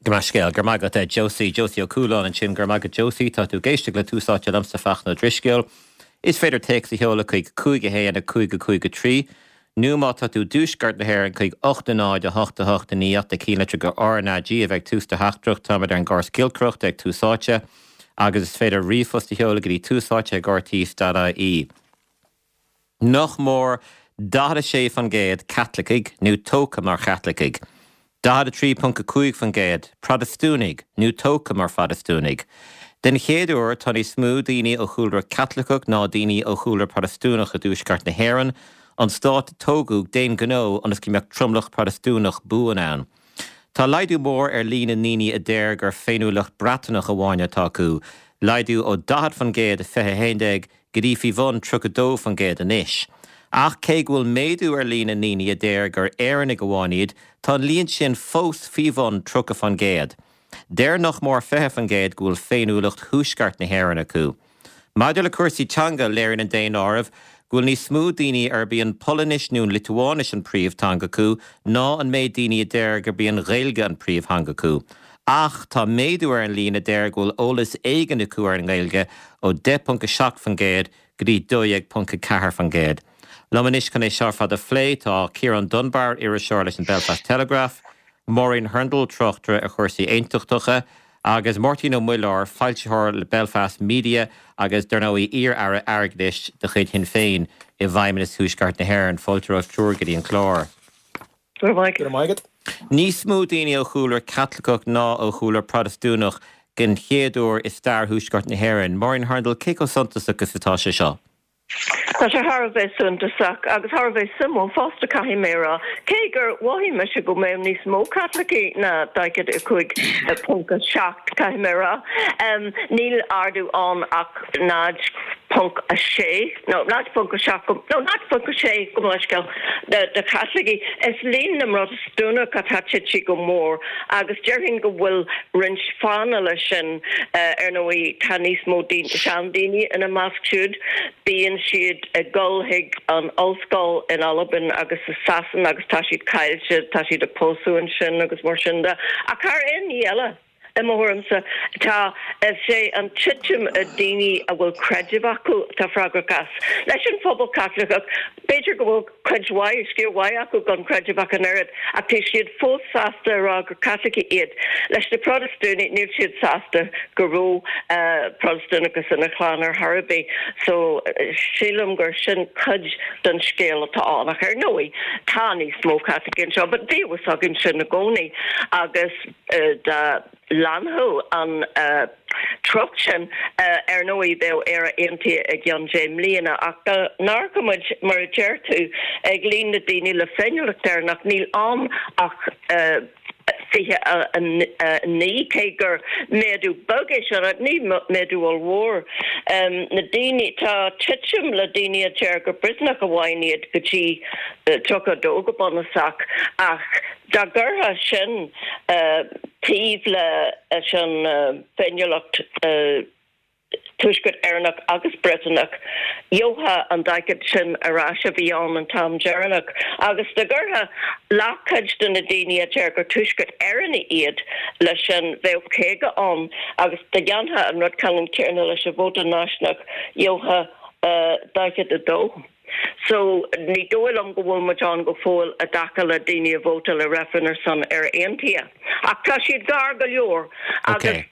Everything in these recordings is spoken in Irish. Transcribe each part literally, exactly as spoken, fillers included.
Go maith scéal, go raibh maith agat Josie, Josie Ó Cualáin ansin, go raibh maith agat Josie, tá tú ag éisteacht le Tús Áite liomsa Fachtna Ó Drisceoil. Is féidir téacs a sheoladh chuig cúig a haon a cúig a cúig a trí, nó má tá tú i dtuaisceart na hÉireann chuig ocht a náid a hocht a hocht a naoi ach na cinnlitriú RnaG a bheidh tús do theachtaireacht, táimid ar an gcóras giolcaireachta ag Tús Áite agus is féidir ríomhphost a sheoladh go dtí túsáite ag rte.ie. Nach mór daichead a sé faoin gcéad Caitlicigh nó tógtha mar Chaitlicigh. daichead a trí ponc a cúig faoin gcéad Protastúnaigh nó tógtha mar Phrotastúnaigh. Den chéad uair tá níos mó daoine ó chúlra Caitliceach ná daoine ó chúlra Protastúnach i dtuaisceart na hÉireann, an stát a tógadh d'aon ghnó ionas go mbeadh tromlach Protastúnach buan ann. Tá laghdú mór ar líon na ndaoine a deir gur féiniúlacht Breatnach amháin atá acu, laghdú ó daichead faoin gcéad i fiche a haon déag go dtí faoi bhun tríocha dó faoin gcéad anois. Ach cé go bhfuil méadú ar líon na ndaoine a deir gur Éireannaigh amháin iad, tá an líon sin fós faoi bhun tríocha faoin gcéad. Deir nach mór fiche faoin gcéad go bhfuil féiniúlacht thuaisceart na hÉireann acu. Maidir le cúrsaí teanga léiríonn an daonáireamh go bhfuil níos mó daoine arb í an Pholainnis nó an Liotuáinis an príomhtheanga acu ná an méid daoine a deir gurb í an Ghaeilge an príomhtheanga acu. Ach tá méadú ar an líon a deir go bhfuil eolas éigin acu ar an nGaeilge ó deich ponc a seacht faoin gcéad go dtí dó dhéag ponc a ceathair faoin gcéad. Liom anois chun é seo ar fad a phlé tá Ciarán Dunbar, iriseoir leis an Belfast Telegraph, Máirín Hurndall, tráchtaire ar chúrsaí aontachtacha, agus Máirtín Ó Muilleoir, foilsitheoir le Belfast Media agus dar ndóigh iar-aire airgeadais de chuid Shinn Féin i bhFeidhmeannas Thuaisceart na hÉireann. Fáilte romhaibh triúr go dtí an clár. Go raibh maith agat. Níos mó daoine ó chúlra Caitliceach ná ó chúlra Protastúnach den chéad uair i stair Thuaisceart na hÉireann. Máirín Hurndall, cé chomh suntasach is atá sé seo? Tá sé thar a bheith suntasach agus thar a bheith suimiúil fosta caithfidh mé a rá, cé gur mhothaigh mise go mbeadh níos mó Caitlicigh ná daichead a cúig ponc a seacht caithfidh mé a rá. Níl ardú ann ach náid ponc a sé nó náid ponc a seacht nó náid ponc a sé go leithscéal de Chaitlicigh. Is líon na mProtastúnach atá tite go mór agus déarfainn go bhfuil roinnt fáthanna leis sin ar ndóigh tá níos mó seandaoine ina measc siúd. Bíonn siad ag dul chuig an ollscoil in Albain agus i Sasana agus tá siad caillte, tá siad ag pósadh ansin agus mar sin de. Ach thar aon ní eile, i mo thuairimse, tá is é an titim i daoine a bhfuil creideamh acu atá freagrach as. Leis an phobal Caitliceach, b'fhéidir go bhfuil cuid mhaith, sciar mhaith acu gan creideamh ach an oiread, ach tá siad fós sásta a rá gur Caitlicigh iad. Leis na Protastúnaigh, níl siad sásta go raibh Protastúnachas ina chlann ar chor ar bith. So sílim gur sin cuid den scéal atá ann. Ach ar ndóigh, tá níos mó Caitlicigh anseo, but bhí a fhios againn sin i gcónaí agus dá leanfadh an treocht sin, ar ndóigh, bheadh Éire aontaithe i gceann deich mbliana. Ach dá n-amharcadh muid, mar a deir tú, ag líon na daoine le féiniúlacht Éireannach, níl ann ach fiche a naoi, cé gur méadú beag é sin, ach ní méadú ollmhór. Na daoine, tá titim le daoine a deir gur Briotanach amháin iad go dtí tríocha a dó go bunúsach, ach dá gcuirfeá sin taobh leis an bhféiniúlacht Tuaisceart Éireannach agus Briotanach, gheofá an daichead sin ar ais a bhí ann an t-am deireanach. Agus dá gcuirfeá leathchuid de na daoine a deir gur Tuaisceart Éireannaigh iad leis sin, bheadh caoga ann. Agus dá dhéanfá an rud ceannann céanna leis an vóta náisiúnach, gheofá daichead a dó. So, ní dóigh liom go bhfuil muid ann go fóill i dtaca le daoine a vótáil i reifreann ar son Éire Aontaithe. Ach tá siad gar go leor agus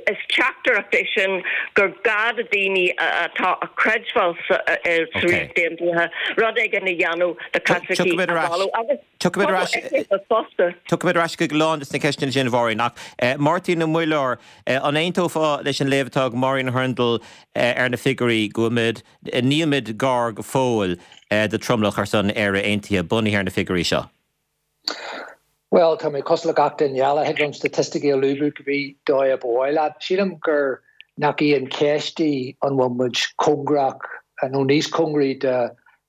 is teachtaireacht é sin gur gá do daoine atá ag creidbheáil sa Ríocht Aontaithe rud éigin a dhéanamh le Caitlicigh a mhealladh agus Tiocfaimid ar ais Tiocfaimid ar ais chuig a lán de na ceisteanna sin, a Mháirín. Ach Máirtín Ó Muilleoir, an aontófá leis an léamh atá ag Máirín Hurndall ar na figiúirí go bhfuil muid Nílimid gar go fóill do tromlach ar son Éire Aontaithe bunaithe ar na figiúirí seo. Bhuel, tá mé cosúil le gach duine eile, thig liom staitisticí a lúbadh cibé dóigh ab áil leat. Sílim gur nach í an cheist í an bhfuil muid cóngarach nó níos cóngaraí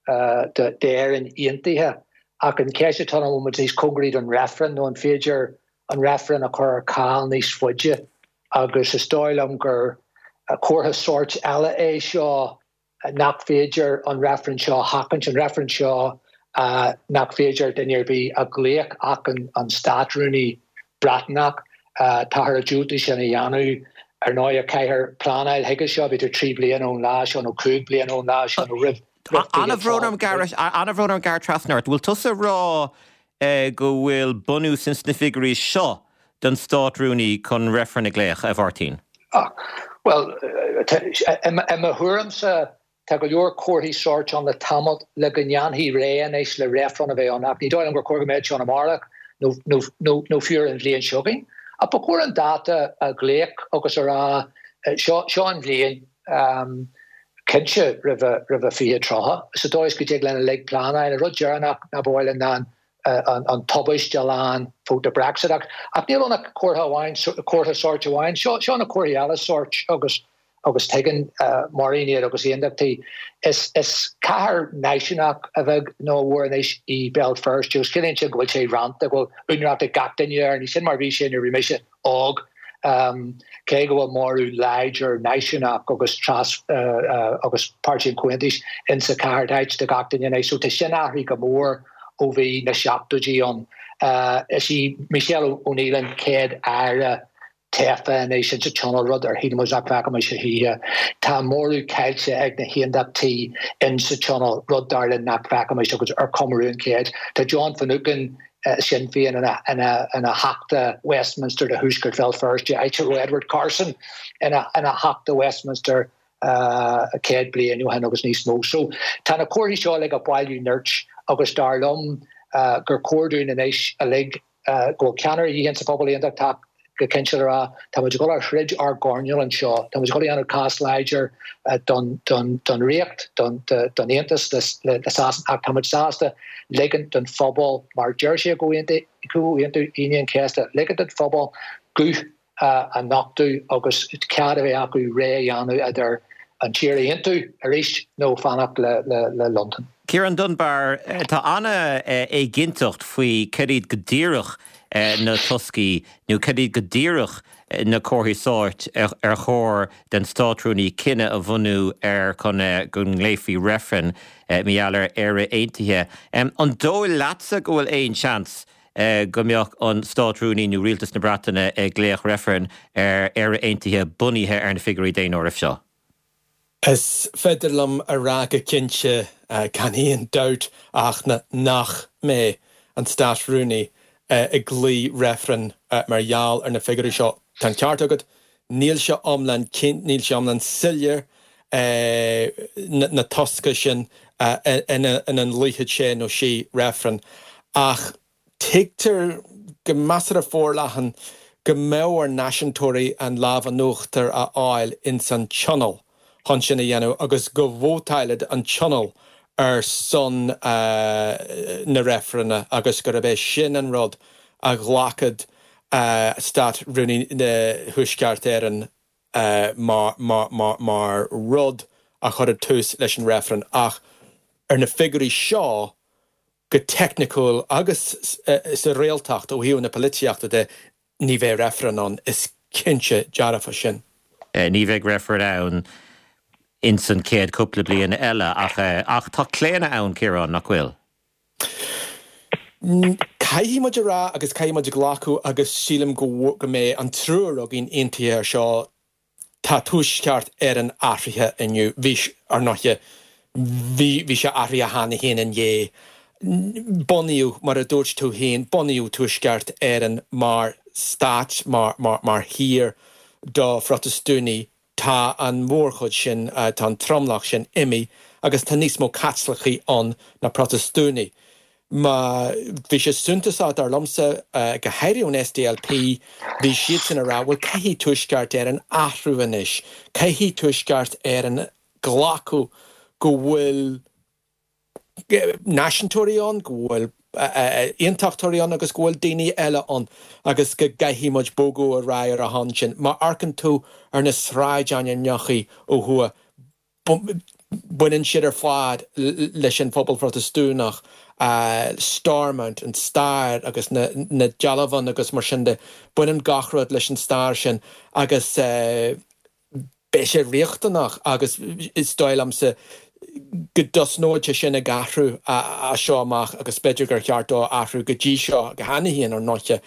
d'Éirinn Aontaithe ach an cheist atá ann an bhfuil muid níos cóngaraí don reifreann nó an féidir an reifreann a chur ar ceal níos faide agus is dóigh liom gur comhartha sóirt eile é seo nach féidir an reifreann seo a sheachaint, an reifreann seo nach féidir duine ar bith a ghlaoch ach an Státrúnaí Breatnach. Táthar ag diúltú sin a dhéanamh. Ar ndóigh, caithfear pleanáil chuige seo, b'fhéidir trí bliana ón lá seo nó cúig bliana ón lá seo nó roimh An-bhrón orm an-bhrón orm gearradh trasna ort. Bhfuil tusa ag rá go bhfuil bunús ins na figiúirí seo don Státrúnaí chun reifreann a ghlaoch, a Mháirtín? Bhuel, i mo thuairimse, tá go leor comharthaí sóirt ann le tamall le go ndéanfaí réidh anois le reifreann a bheith ann, ach ní dóigh liom gur chóir go mbeadh sé ann amárach nó fiú ar an bhliain seo chugainn. Ach ba chóir an dáta a ghlaoch agus a rá, seo seo an bhliain, cinnte roimh fiche tríocha, sa dóigh is go dtig linn uilig pleanáil. An rud deireanach ná ba mhaith linn ná an tubaiste a lean vóta Brexit. Ach níl ann ach comhartha amháin, comhartha sóirt amháin. Seo seo na comharthaí eile sóirt agus agus tuigeann Máirín iad agus aontachtaí. Is is cathair náisiúnach a bheag nó a mhór anois í Béal Feirste agus ciallaíonn sin go bhfuil sé rannta, go bhfuil úinéireacht ag gach duine air. Ní sin mar a bhí sé nuair a bhí mise óg. Cé go bhfuil móramh láidir náisiúnach agus tras agus Páirtí an Chomhaontais insa chathair, tá áit do gach duine anois. So tá sin athraithe go mór ó bhí na seachtóidí ann. Is í Michelle O'Neill an chéad aire tofa anois insa Tionól, rud ar shíl muid nach bhfeicfimis a choíche. Tá móramh caillte ag na hAontachtaí insa Tionól, rud dar linn nach bhfeicfimis agus ar comóradh an chéid. Tá John Finucane, Sinn Féin, ina Theachta Westminster do Thuaisceart Bhéal Feirste, áit a raibh Edward Carson ina Theachta Westminster céad bliain ó shin agus níos mó. So tá na comharthaí seo uilig ag bailiú nirt agus dar liom gur chóir dúinn anois uilig go bhfuil ceannaire a dhíth insa phobal aontachtach go cinnte le rá tá muid ag dul a throid ár gcoirnéal anseo, tá muid ag dul a dhéanamh cás láidir don don don Ríocht, don don Aontas le le Sasana ach tá muid sásta ligint don phobal mar deir sé i gComhaontú Aoine an Chéasta, ligint don phobal guth a nochtadh agus cead a bheith acu rogha a dhéanamh idir an tír a aontú arís nó fanacht le Londain. Ciarán Dunbar, Tá an-éiginnteacht faoi cad iad go díreach na toscaí nó cad iad go díreach na comharthaí sóirt ar chóir den Státrúnaí cinneadh a bhunú air chun go nglaofaí reifreann mar gheall ar Éire Aontaithe. An dóigh leatsa go bhfuil aon seans go mbeadh an Státrúnaí nó Rialtas na Breataine ag glaoch reifreann ar Éire Aontaithe bunaithe ar na figiúirí daonáirimh seo? Is féidir liom a rá go cinnte gan aon dabht ach nach mbeidh an Státrúnaí ag glaoch reifreann mar gheall ar na figiúirí seo. Tá an ceart agat, níl sé iomlán níl sé iomlán soiléir na tosca sin ina nglaofaidh sé nó sí reifreann ach tuigtear go measartha forleathan go mbeadh ar náisiúntóirí an lámh in uachtar a fháil ins an Tionól chun sin a dhéanamh agus go vótálfadh an Tionól ar son na reifrinne agus gurb é sin an rud a ghlacfadh Stát-Rúnaí Thuaisceart Éireann mar rud a chuirfeadh tús leis an reifreann. Ach ar na figiúirí seo, go teicniciúil agus sa réaltacht ó thaobh na polaitíochta de, ní bheidh reifreann ann, is cinnte dearfa sin. Ní bheidh reifreann ann ins an chéad cúpla bliain eile ach ach tá claonadh ann, Ciarán, nach bhfuil? Caithfidh muid a rá agus caithfidh muid a ghlacadh agus sílim go go mbeidh an triúr againn aontaithe ar seo, tá Tuaisceart Éireann athraithe inniu. Bhí, ar ndóighe, bhí bhí sé athraithe cheana féin inné. Bunaíodh, mar a dúirt tú féin, bunaíodh Tuaisceart Éireann mar stát, mar mar mar thír do Phrotastúnaigh. Tá an mhórchuid sin, tá an tromlach sin imithe agus tá níos mó Caitlicigh ann ná Protastúnaigh. Má bhí sé suntasach, dar liomsa, go háirithe ón SDLP, bhí siadsan ag rá, bhuel, caithfidh Tuaisceart Éireann athrú anois, caithfidh Tuaisceart Éireann glacadh go bhfuil náisiúntóirí ann, go bhfuil aontachtóirí ann agus go bhfuil daoine eile ann agus go gcaithfidh muid bogadh ar aghaidh ar a shon sin. Má amharcann tú ar na sráidainmneacha ó thuaidh, baineann siad ar fad leis an phobal Phrotastúnach, Stormont, an stair agus na dealbha agus mar sin de, baineann gach rud leis an stair sin agus beidh sé riachtanach agus is dóigh liomsa go dtosnóidh sé sin ag athrú as seo amach agus b'fhéidir gur cheart dó athrú go dtí seo go cheana féin ar ndóighe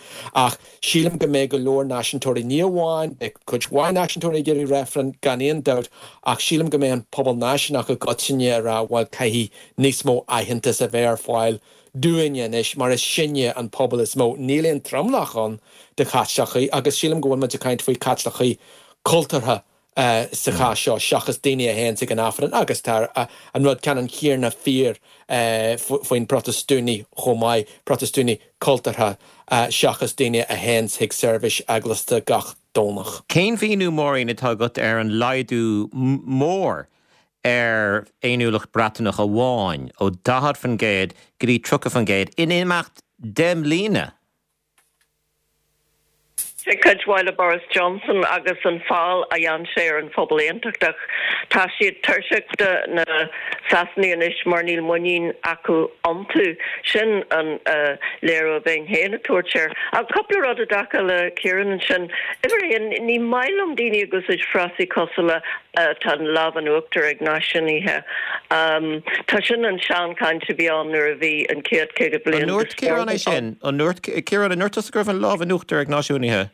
ach sílim go mbeidh go leor náisiúntóirí ní amháin beidh cuid mhaith náisiúntóirí ag iarraidh reifreann gan aon dabht ach sílim go mbeidh an pobal náisiúnach i gcoitinne ag rá bhuel caithfidh níos mó aitheantas a bheith ar fáil dúinne anois mar is sinne an pobal is mó. Níl aon tromlach ann de Chaitlicigh agus sílim go bhfuil muid ag caint faoi Chaitlicigh cultúrtha sa chás seo seachas daoine a théann chuig an Aifreann agus tá an rud ceannann céanna fíor faoin Protastúnaigh chomh maith, Protastúnaigh cultúrtha seachas daoine a théann chuig seirbhís eaglasta gach Domhnach. Cén mhíniú, Máirín, atá agat ar an laghdú mór ar fhéiniúlacht Breatnach amháin ó daichead faoin gcéad go dtí tríocha faoin gcéad in imeacht deich mbliana? Sé cuid mhaith le Boris Johnson agus an feall a dhein sé ar an phobal aontachtach. Tá siad tuirseach de na Sasanaigh anois mar níl muinín acu iontu. Sin an léiriú a bheinn féin ag tabhairt air. Ach cúpla rud i dtaca le Ciarán ansin. Uimhir a haon, ní maith liom daoine ag úsáid frásaí cosúil le tá an lámh in uachtar ag náisiúnaithe. Tá sin an seanchaint a bhí ann nuair a bhí an chéad caoga bliain An ndúirt Ciarán é sin? An ndúirt Ciarán, an ndúirt tusa go raibh an lámh in uachtar ag náisiúnaithe?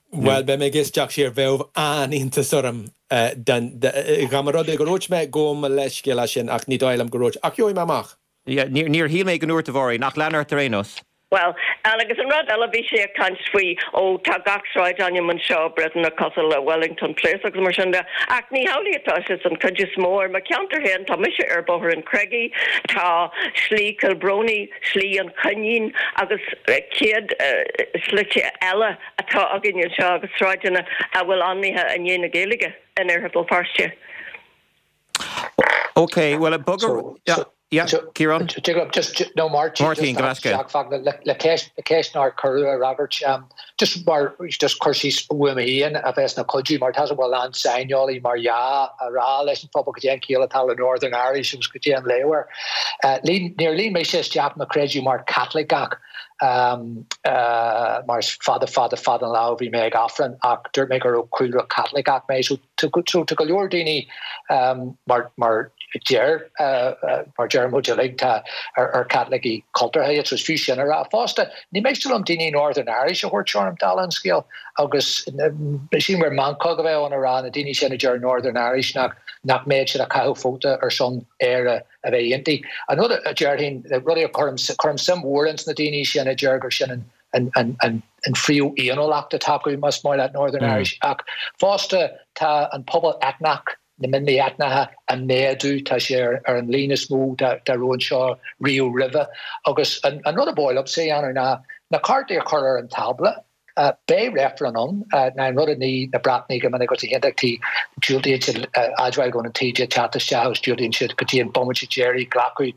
Bhuel, beidh mé ag éisteacht siar, bheadh an-iontas orm dá mba rud é go ndúirt mé, gabhaim mo leithscéal as sin ach ní dóigh liom go ndúirt, ach gheobhaidh mé amach. Níor shíl mé go ndúirt, a Mháirín, ach lean ort ar aon nós. Bhuel, agus an rud eile, bhí sé ag caint faoi, ó, tá gach sráidainm anseo Briotanach cosúil le Wellington Place agus mar sin de, ach ní hamhlaidh atá sé san chuid is mó. Ar mo cheantar féin, tá mise ar Bhóthar an Chreagaigh, tá Slí Kilbroney, Slí an Choinín agus céad slite eile atá againn anseo agus sráideanna a bhfuil ainmnithe i ndiaidh na Gaeilge in Iarthar Bhéal Feirste. Ok, bhuel, b'fhéidir... Yeah, Ciarán? Just, no, Máirtín, Máirtín, go leasca. Le le ceist le ceist nár cuireadh a fhreagairt. Just mar just cur síos uaim féin a bheas ina chuidiú mar tá a lán saineolaí mar dhea a rá leis an phobal cad é an chiall atá le Northern Irish agus cad é an léamh air. Níor líon mise isteach mo chreideamh mar Chaitliceach mar is fada fada fada an lá ó bhí mé ag Aifreann ach dúirt mé go raibh cúlra Caitliceach mé so tá go leor daoine mar mar deir mar deir muid uilig tá ar ar Caitlicigh cultúrtha iad so is fiú sin a rá. Fosta ní miste liom daoine Northern Irish a thabhairt orm dála an scéil agus sílim gur meancóg a bheadh ann a rá na daoine sin a deir Northern Irish nach nach mbeadh siad ag caitheamh vóta ar son Éire a bheith aontaithe. An rud a déarfainn, rudaí a chuirim, cuirim suim mhór ins na daoine sin a deir gur sin an an an an an phríomhfhéiniúlacht atá acu, más maith leat Northern Irish, ach fosta tá an pobal eitneach, na mionlaigh eitneacha ag méadú, tá sé ar ar an líon is mó dá dá raibh anseo riamh roimhe. Agus an an rud a ba mhaith liomsa a dhéanamh ná na cártaí a chur ar an tábla, Beidh reifreann ann. Ná an rud a ní na Breatnaigh go minic agus na hAontachtaithe, diúltaíonn siad admháil go bhfuil an taoide ag teacht isteach agus diúltaíonn siad go dtí an bomaite deiridh glacadh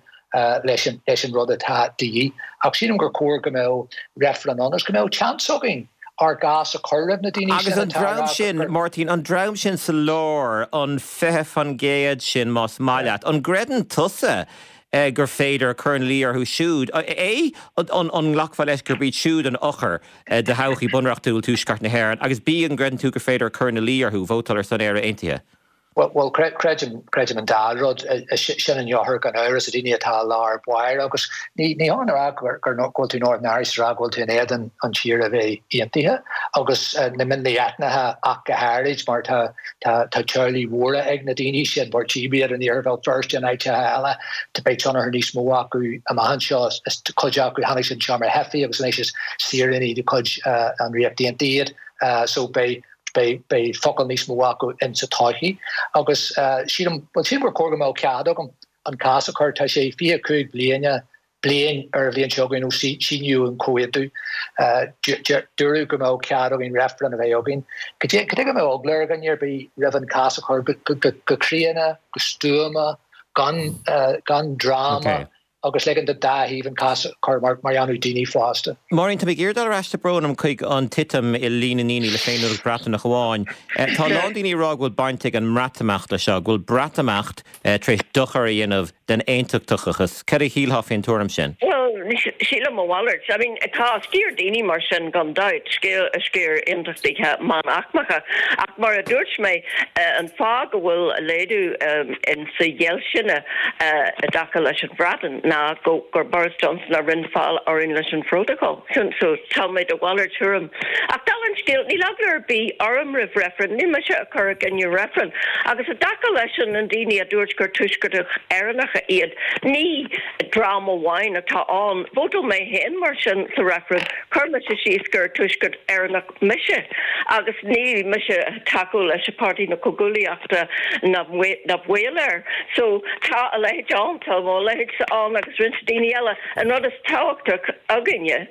leis an leis an rud atá de dhíth. Ach sílim gur chóir go mbeadh reifreann ann agus go mbeadh seans againn ár gcás a chur roimh na daoine Agus sin an atá ag dream rá sin, gur. Máirtín, an dream sin sa lár, an fiche faoin gcéad sin más maith leat, an gcreideann tusa gur féidir cur ina luí orthu siúd? A, an nglacfá leis gurb iad siúd an eochair do thodhchaí bunreachtúil Tuaisceart na hÉireann agus B, an gcreideann tú gur féidir cur ina luí orthu vótáil ar son Éire Aontaithe? Bhuel, creidim, creidim an dá rud. Sin an eochair gan amhras, na daoine atá i lár báire agus ní hionann a rá gur go bhfuil tú Northern Irish is a rá go bhfuil tú in éadan an tír a bheith aontaithe agus na mionlaigh eitneacha ach go háirid mar tá Tá teaghlaigh mhóra ag na daoine sin, mar tchím iad in Iarthar Bhéal Feirste in áiteacha eile. Beidh tionchar níos mó acu amach anseo. Is cuid acu, tháinig siad anseo mar theifigh agus anois is saoránaigh de chuid an Ríocht Aontaithe iad. So beidh beidh beidh focal níos mó acu insa todhchaí. Agus sílim, bhuel sílim gur chóir go mbeadh cead agam an cás a chur. Tá sé fiche cúig bliana bliain ar an bhliain seo chugainn ó síníodh an comhaontú. Dúradh go mbeadh cead againn reifreann a bheith againn. Cad é go mbeadh eagla ar dhuine ar bith roimh an cás a chur go críonna, go stuama, gan dráma agus ligean don dá thaobh an cás a chur mar a dhéanfadh daoine fásta. Máirín, tá mé ag iarraidh dul ar ais, tá brón orm, chuig an titim i líon na ndaoine le féiniúlacht Bhreatnach amháin. Tá a lán daoine ag rá go bhfuil baint ag an mBreatimeacht leis seo, go bhfuil Breatimeacht tar éis dochar a dhéanamh den aontachtachas. Cad a shílfeá faoin tuairim sin? Bhuel, Sílim a mhalairt. I mean, tá sciar daoine mar sin gan dabht, sciar aontachtaithe meánaicmeacha, ach mar a dúirt mé, an fáth go bhfuil laghdú in sa ghéillsine i dtaca leis an Bhreatain ná go gur Boris Johnson a rinne feall orainn leis an Phrótacal. So tá mé de mhalairt tuairim. Ach dála an scéil, níl eagla ar bith orm roimh reifreann, níl mise ag cur i gcoinne reifreann. Agus i dtaca leis an daoine a dúirt gur Tuaisceartach Éireannacha iad, ní dream amháin atá ann. Vótáil mé féin mar sin sa reifreann, chuir mise síos gur Tuaisceart Éireannach mise agus níl mise ag tacú leis an Páirtí na Comhghuaillíochta ná baol air. So tá a leithéid ann, tá mo leithéidse ann agus roinnt daoine eile. An rud is tábhachtach againne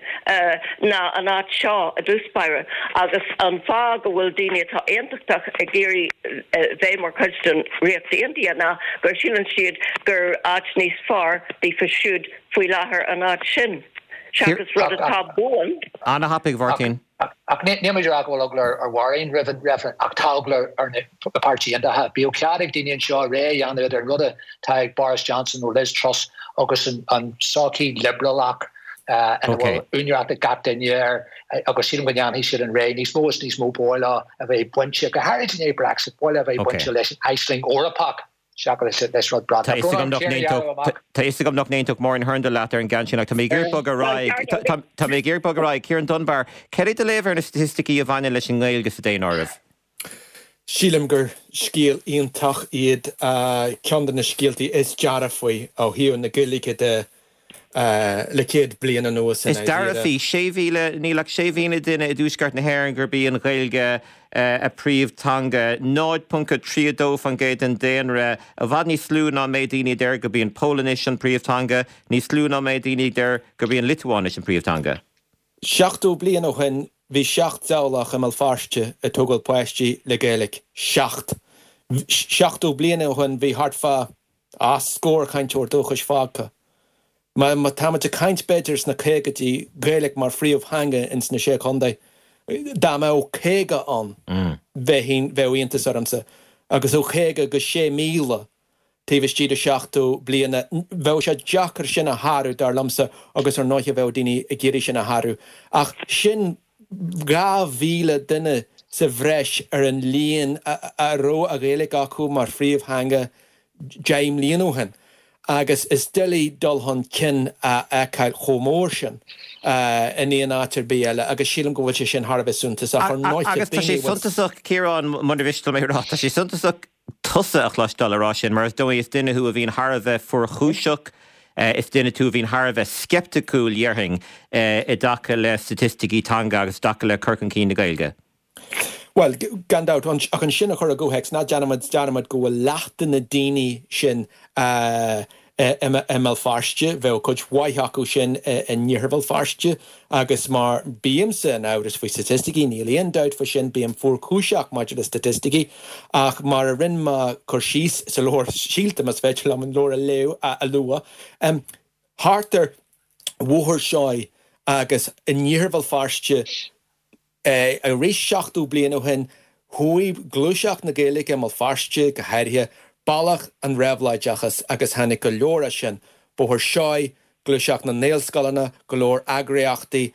ná an áit seo i dtús báire agus an fáth go bhfuil daoine atá aontachtach ag iarraidh bheith mar chuid den Ríocht Aontaithe ná gur síleann siad gur áit níos fearr daofa siúd faoi láthair an áit sin seachas rud atá buan. Ana-thapaidh, a Mháirtín. Ach níl muid ag rá go bhfuil eagla ar Mháirín roimh an reifreann ach tá eagla ar na Páirtí Aontaithe. Bíodh cead ag daoine anseo rogha a dhéanamh idir an rud atá ag Boris Johnson nó Liz Truss agus an sochaí liobrálach ina bhfuil úinéireacht ag gach duine air agus sílim go ndéanfaidh siad an rogha níos mó is níos mó baol a bheith bainte, go háirid i ndiaidh Brexit, baol a bheith bainte leis an aisling Eorpach seachas leis rud Tá fhios agam nach n-aontódh Máirín Hurndall leat ar an gceann sin ach tá mé ag iarraidh bogadh ar aghaidh. Tá mé ag iarraidh bogadh ar aghaidh. Ciarán Dunbar, cad é do léamh ar na staitisticí a bhaineann leis an nGaeilge sa daonáireamh? Sílim gur scéal iontach iad, ceann de na scéaltaí is dearfaí ó thaobh na Gaeilge de le céad bliain anuas i Is dearfaí, sé mhíle, níl ach sé mhíle duine i dtuaisceart na hÉireann gurb í an Ghaeilge a príomhtheanga, náid ponc a trí a dó faoin gcéad den daonra, i bhfad níos lú ná an méid daoine a deir gurb í an Pholainnis an príomhtheanga, níos lú ná an méid daoine a deir gurb í an Liotuáinis an príomhtheanga. Seachtó bliain ó shin bhí seacht dteaghlach i mBéal Feirste ag tógáil páistí le Gaeilge. Seacht. Seachtó bliain ó shin bhí thart fá scór cainteoir dúchais fágtha. Má táimid ag caint b'fhéidir sna caogaidí, Gaeilge mar phríomhtheanga ins na Sé Chontae, dá mbeadh caoga ann bheinn, bheadh iontas ormsa. Agus ó chaoga go sé míle taobh istigh de seachtó bliana, bheadh sé deacair sin a shárú, dar liomsa, agus ar ndóighe bheadh daoine ag iarraidh sin a shárú. Ach sin dhá mhíle duine sa bhreis ar an líon a raibh an Ghaeilge acu mar phríomhtheanga deich mbliana ó shin agus is doiligh dul chun cinn a fheiceáil chomh mór sin in aon áit ar bith eile agus sílim go bhfuil sé sin thar a bheith suntasach. Ar ndóighe, Agus tá sé daoine a bhfuil. suntasach, Ciarán, mura mhiste liom é a rá, tá sé suntasach tusa a chloisteáil ag rá sin mar is dóigh is duine thú a bhíonn thar a bheith fuarchúiseach, is duine tú a bhíonn thar a bheith sceipticiúil, dhéarfainn, i dtaca le staitisticí teanga agus i dtaca le cur chun cinn na Gaeilge. Bhuel, gan dabht, ach ansin a chur i gcomhthéacs, ná déanfaimid dearmad go bhfuil leath de na daoine sin i mBéal Feirste, bheadh cuid mhaith acu sin in iarthar Bhéal Feirste agus mar bímse in amhras faoi staitisticí, níl aon dabht faoi sin, bím fuarchúiseach maidir le staitisticí, ach mar a rinne mé cur síos sa leabhar Síolta, más féidir liom an leabhar a léamh, a lua, thart ar Bhóthar Seoighe agus in iarthar Bhéal Feirste, Arís seachtó bliain ó shin, chuaigh gluaiseacht na Gaeilge i mBéal Feirste, go háirithe, bealach an réabhlóideachais agus tháinig go leor as sin, Bóthar Seoighe, gluaiseacht na nGaelscoileanna, go leor eagraíochtaí,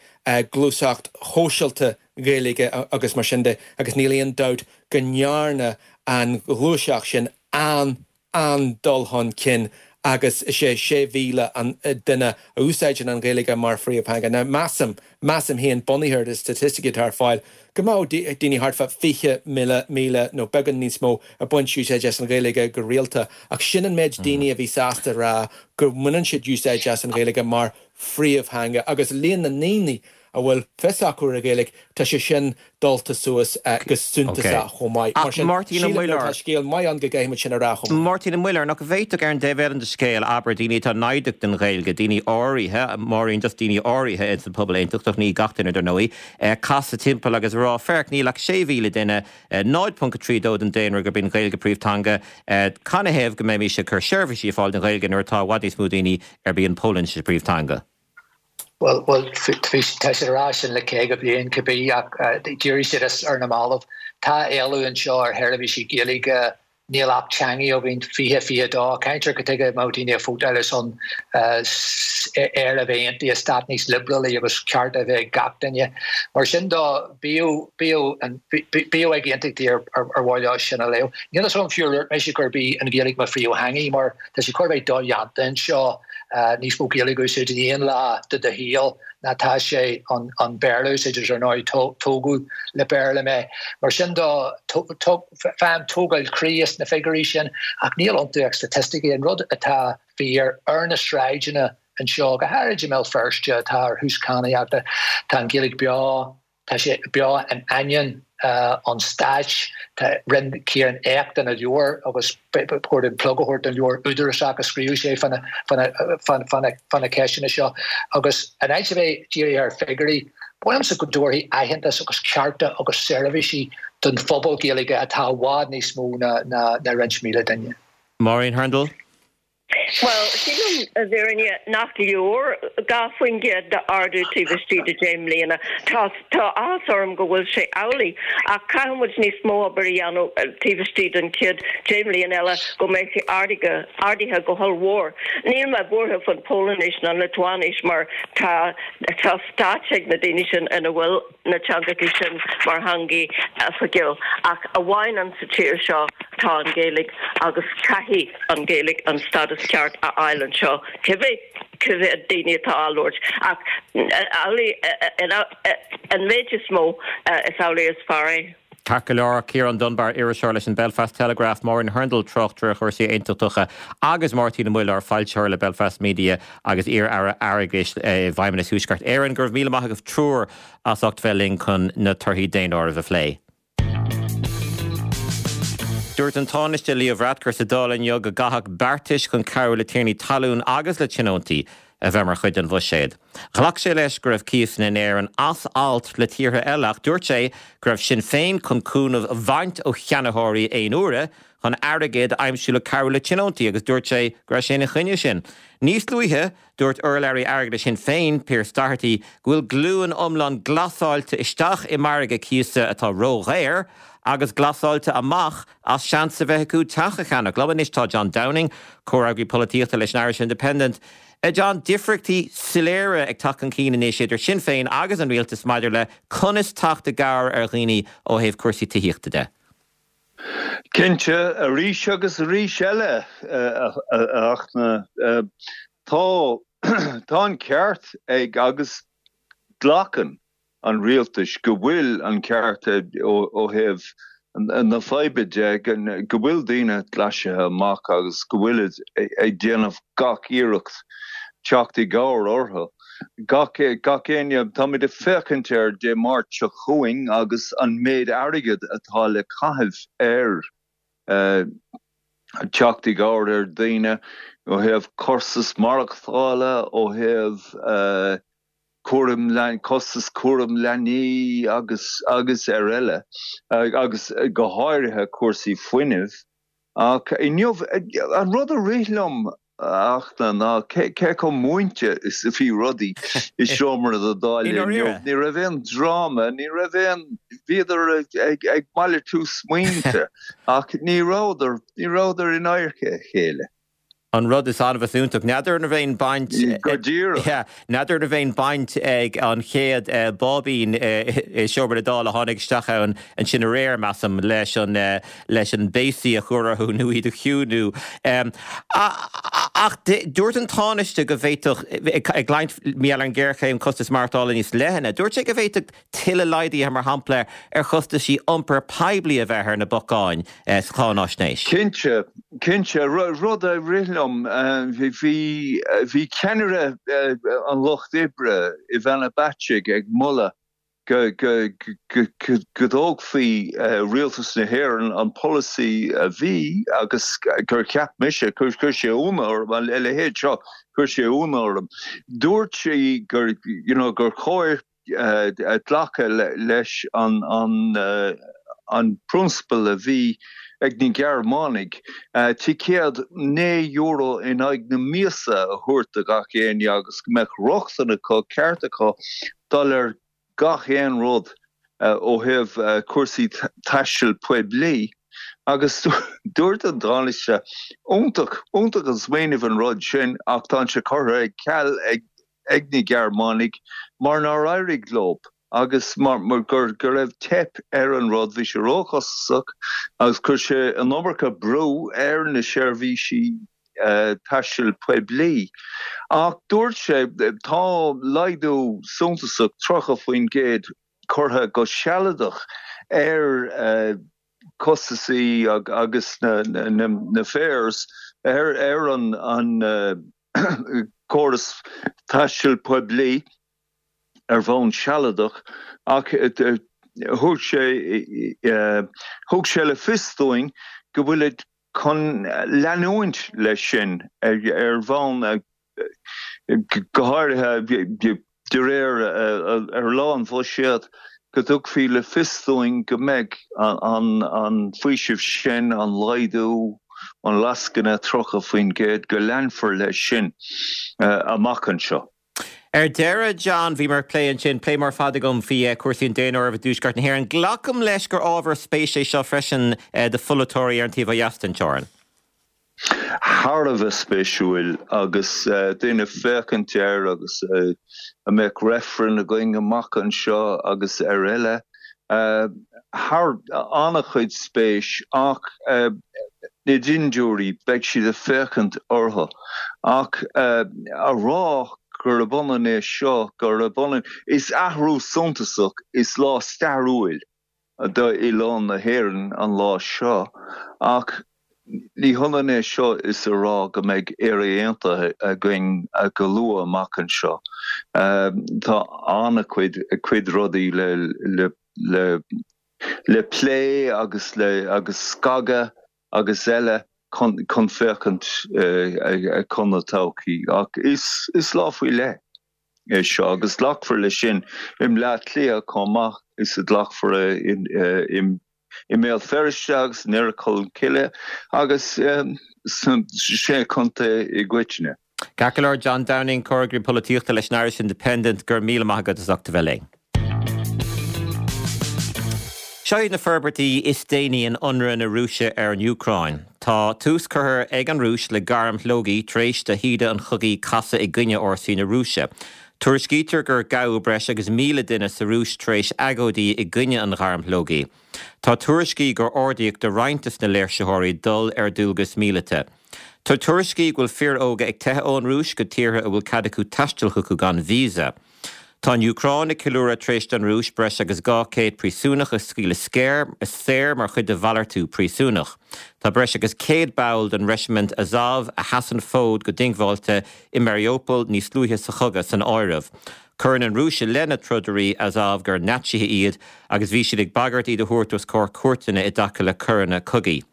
gluaiseacht shóisialta Ghaeilge agus mar sin de agus níl aon dabht go ndearna an ghluaiseacht sin an an-dul chun cinn agus is é sé mhíle an duine a úsáideann an Ghaeilge mar phríomhtheanga. Now measaim, measaim féin, bunaithe ar na staitisticí atá ar fáil, go mbeadh daoine thart fá fiche míle, míle nó beagán níos mó ag baint úsáid as an Ghaeilge go rialta ach sin an méid daoine a bhí sásta a rá go mbaineann siad úsáid as an Ghaeilge mar phríomhtheanga agus líon na ndaoine a bhfuil fios acu ar an Ghaeilge, tá sé sin dulta suas go suntasach chomh maith. Mar Ach sin, Máirtín Ó sílim nuair atá Muilleoir. scéal maith ann go gcaithfimid sin a rá chomh maith. Máirtín Ó Muilleoir, nach bhféadfadh ar an dtaobh eile den scéal, abair, daoine atá naimhdeach don Ghaeilge, daoine áirithe, Máirín, just daoine áirithe ins an pobal aontachtach, ní gach duine dar ndóigh, casadh timpeall agus rá, féach, níl ach sé mhíle duine, náid ponc a trí dó den daonra gurb í an Ghaeilge príomhtheanga, canathaobh go mbeimis ag cur seirbhísí ar fáil don Ghaeilge nuair atá i bhfad níos mó daoine arb í an Pholainnis a bpríomhtheanga? Bhuel, bhuel, bhí, tá siad ag rá sin le caoga bliain cibé, ach d'éirigh siad as ar na mallaibh. Tá éileamh anseo ar sheirbhísí Gaeilge Níl Acht Teanga againn fiche fiche dó. Caintear cad chuige a mbeadh daoine ag vótáil ar son Éire a bheith aontaithe, stát níos liobrálaí agus cearta a bheith ag gach duine. Mar sin de, b'fhiú b'fhiú ag aontachtaí ar mhaith leo sin a léamh. Níl fhios agam fiú ar dhúirt mise gurb í an Ghaeilge mo phríomhtheanga mar tá sé chóir a bheith dodhéanta anseo níos mó Gaeilge a úsáid in aon lá de do shaol ná tá sé an Béarla a úsáid agus ar ndóigh tógadh le Béarla mé. Mar sin de faighim tógáil croí as na figiúirí sin ach níl iontu ach staitisticí. An rud atá fíor ar na sráideanna anseo, go háirid i mBéal Feirste atá ar thús cadhnaíochta, tá an Ghaeilge beo, Tá sé beo in ainneoin an stáit. Tá rinne Ciarán éacht ina leabhar agus ba chóir dúinn plug a thabhairt don leabhar údarásach a scríobh sé fá na ceisteanna seo. Agus in áit a bheith dírithe ar figiúirí, ba mhaith liomsa go dtabharfaí aitheantas agus cearta agus seirbhísí don phobal Gaeilge atá i bhfad níos mó ná roinnt míle duine. Máirín Hurndall. Bhuel, sílim, i bhfírinne, nach leor dhá faoin gcéad d'ardú taobh istigh de deich mbliana. Tá tá áthas orm go bhfuil sé amhlaidh, ach caithfidh muid níos mó obair a dhéanamh taobh istigh den chéad deich mbliana eile go mbeidh sé ardaithe ardaithe go hollmhór. Níl mé buartha faoin Pholainnis ná an Liotuáinis mar tá tá stáit ag na daoine sin ina bhfuil na teangacha sin mar theangaí oifigiúil, ach amháin an sa tír seo tá an Ghaeilge agus caithfidh an Ghaeilge an stádas ceart a fháil anseo, cibé cé mhéad daoine atá á labhairt. Ach amhlaidh an méid is mó, is amhlaidh is fearr é. Ceart go leor, Ciarán Dunbar, iriseoir leis an Belfast Telegraph, Máirín Hurndall, tráchtaire ar chúrsaí aontachtacha agus Máirtín Ó Muilleoir, foilsitheoir le Belfast Media agus iar-aire airgeadais i bhFeidhmeannas Thuaisceart Éireann. Go raibh míle maith agaibh triúr as ucht bheith linn chun na torthaí daonáirimh a phlé. Dúirt an Tánaiste Leo Varadkar sa Dáil inniu go gcaithfeadh beartais chun cabhrú le tiarnaí talún agus le tionóntaí a bheith mar chuid den bhuiséad. Ghlac sé leis go raibh cíosanna in Éirinn as alt le tíortha eile ach dúirt sé go raibh Sinn Féin chun cúnamh a bhaint ó cheannaitheoirí aon uaire chun airgead a aimsiú le cabhrú le tionóntaí agus dúirt sé go raibh sé ina choinne sin. Níos luaithe, dúirt urlabhraí airgeadais Shinn Féin, Pearse Doherty, go bhfuil glúin iomlán glasáilte isteach i margadh cíosa atá ródhaor agus glasáilte amach as seans a bheith acu teach a cheannach. Liom anois tá John Downing, comhfhreagraí polaitíochta leis an Irish Independent. A John, difríochtaí soiléire ag teacht chun cinn anois idir Sinn Féin agus an rialtas maidir le conas teacht i gcabhair ar dhaoine ó thaobh cúrsaí tithíochta de. Cinnte, arís agus arís eile, a Fhachtna, tá tá an ceart ag agus glacann an rialtais go bhfuil an ceart ó thaobh na faidhbe de, go bhfuil daoine glasaithe amach agus go bhfuilid ag déanamh gach iarracht teacht i gcabhair orthu. Gach gach éinne, táimid ag féachaint ar Dé Máirt seo chugainn agus an méid airgid atá le caitheamh ar teacht i gcabhair ar dhaoine ó thaobh costas maireachtála, ó thaobh cúram costas cúram leanaí agus agus ar eile, agus go háirithe cúrsaí fuinnimh. Ach inniu, an rud a rith liom, a Fhachtna, ná cé chomh múinte is a bhí rudaí i seomra na Dála inniu. Ní raibh aon dráma, ní raibh aon, bhíodar ag ag malartú smaointe ach ní rabhadar, ní rabhadar in adharca a chéile. An rud is annamh is iontach. N'fheadar an raibh aon baint. Go díreach. Yeah. N'fheadar an raibh aon baint ag an chéad báibín i seomra na Dála a tháinig isteach ann ansin aréir, measaim, leis an leis an béasaí a chur orthu nó iad a chiúnú. Ach dúirt an Tánaiste go bhféadfadh, ag labhairt mar gheall ar an ghéarchéim costas maireachtála níos leithne, dúirt sé go bhféadfadh tuilleadh laghduithe, mar shampla, ar chostaisí iompair poiblí a bheith ar na bacáin sa cháinaisnéis. Cinnte, cinnte. Rud a rith liom, bhí, bhí ceannaire an Lucht Oibre, Ivana Bacik, ag moladh go, go, go, go dtógfaí Rialtas na hÉireann an polasaí a bhí agus gur cheap mise, chuir sé ionadh orm, a leithéid seo, chuir sé ionadh orm. Dúirt sí gur, you know, gur chóir glacadh leis an an prionsabal a bhí ag na Gearmánaigh, ticéad naoi euro in aghaidh na míosa a thabhairt do gach éinne agus go mbeadh rochtain acu, ceart acu dul ar gach aon rud ó thaobh cúrsaí taistil poiblí. Agus dúirt an Tánaiste, iontach, iontach an smaoineamh an rud sin ach tá sé curtha ar ceal ag ag na Gearmánaigh mar nár éirigh leo agus mar mar gur go raibh teip ar an rud, bhí sé róchostasach agus chuir sé an iomarca brú ar na seirbhísí taistil poiblí. Ach dúirt sé, tá laghdú suntasach tríocha faoin gcéad curtha go sealadach ar costasaí agus na fares ar an an córas taistil poiblí ar bhonn sealadach ach thug sé thug sé le fios dúinn go bhfuilid chun leanúint leis sin ar bhonn go háirithe de réir ar lá an bhuiséid go dtugfaí le fios dúinn go mbeidh an faoiseamh sin, an laghdú, an lascaine tríocha faoin gcéad, go leanfar leis sin amach anseo. Ar deireadh, John, bhíomar ag plé ansin, plé mór fada agam faoi chúrsaí an daonáirimh i dTuaisceart na hÉireann. Glacaim leis gur ábhar spéise é seo freisin do pholaiteoirí ar an taobh ó dheas den teorainn. Thar a bheith spéisiúil agus daoine ag féachaint air agus an mbeadh reifreann againn amach anseo agus ar eile. Thar an-chuid spéis ach na dindiúirí, beidh siad ag féachaint orthu ach a rá gurb ionann é seo, gurb ionann, is athrú suntasach, is lá stairiúil d'oileán na hÉireann an lá seo ach ní hionann é seo is a rá go mbeidh Éire Aontaithe againn go luath amach anseo. Tá an-chuid cuid rudaí le le le le plé agus le agus scagadh agus eile chun chun féachaint chun na todhchaí ach is is lá faoi leith é seo agus glacfar leis sin i mBleá Cliath chomh maith is a ghlacfar i mBéal Feirste agus i nDoire Cholm Cille agus sna Sé Chontae i gcoitinne. Ceart go leor, John Downing, Comhfhreagraí Polaitíochta leis an Irish Independent, go raibh míle maith agat as ucht a bheith linn. Seo iad na forbairtí is déanaí in ionradh na Rúise ar an Úcráin. Tá tús curtha ag an Rúis le gairm shlógaidh tar éis do thaoide an chogaidh casadh i gcoinne fhórsaí na Rúise. Tuairiscítear gur gabhadh breis agus míle duine sa Rúis tar éis agóidí i gcoinne an ghairm shlógaidh. Tá tuairiscí gur ordaíodh do roinnt de na léirsitheoirí dul ar dualgas míleata. Tá tuairiscí go bhfuil fir óga ag teitheadh ón Rúis go tíortha a bhfuil cead acu taisteal chucu gan visa. Tá an Úcráin ag ceiliúradh tar éis don Rúis breis agus dhá chéad príosúnach a scaoileadh saor mar chuid de mhalartú príosúnach. Tá breis agus céad ball den Reisimint Azov a sheas an fód go diongbháilte i Mariupol níos luaithe sa chogadh san áireamh. Cuireann an Rúis i leith na trodairí Azov gur Naitsithe iad agus bhí siad ag bagairt iad a thabhairt os comhair cúirteanna i dtaca le coireanna cogaidh.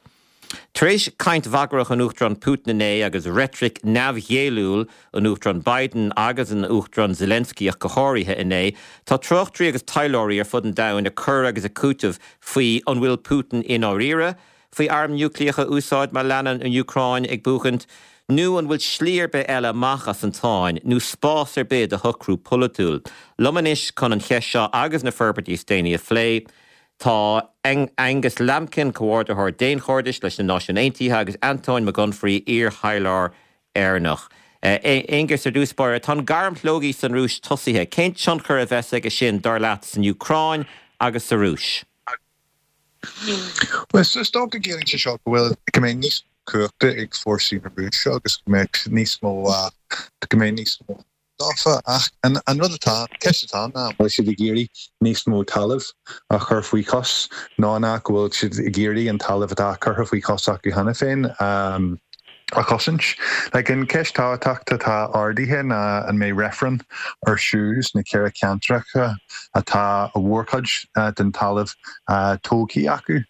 Tar éis caint bhagrach an Uachtaráin Putin inné agus reitric neamhghéilliúil an Uachtaráin Biden agus an Uachtaráin Zelensky ach go háirithe inné, tá tráchtairí agus taidhleoirí ar fud an domhain ag cur agus ag cúiteamh faoi an bhfuil Putin i ndáiríre faoi arm núicléach a úsáid má leanann an Úcráin ag buachaint, nó an bhfuil slí ar bith eile amach as an tsáinn, nó spás ar bith do shocrú polaitiúil. Liom anois chun an cheist seo agus na forbairtí is déanaí a phlé, tá Angus Lambkin, Comhordaitheoir Daonchairdis leis na Náisiúin Aontaithe agus Antóin Mac Unfraidh, iar-thaidhleoir Éireannach. Aengus, ar dtús báire, tá an ghairm shlógaidh san Rúis tosaithe. Cén tionchar a bheas aige sin, dar leat, san Úcráin agus sa Rúis? Bhuel, is dócha go gciallaíonn sé seo go bhfuil, go mbeidh níos mó cumhachta ag fórsaí na Rúise agus go mbeidh níos mó, go mbeidh níos mó daofa. Ach an rud atá, an ceist atá ann ná an bhfuil siad ag iarraidh níos mó talaimh a chur faoi chos nó an ea go bhfuil siad ag iarraidh an talamh atá curtha faoi chos acu cheana féin a chosaint. Like, an ceist tábhachtach atá ardaithe ná an mbeidh reifreann ar siúl sna ceithre ceantracha atá a mhórchuid den talamh tógtha acu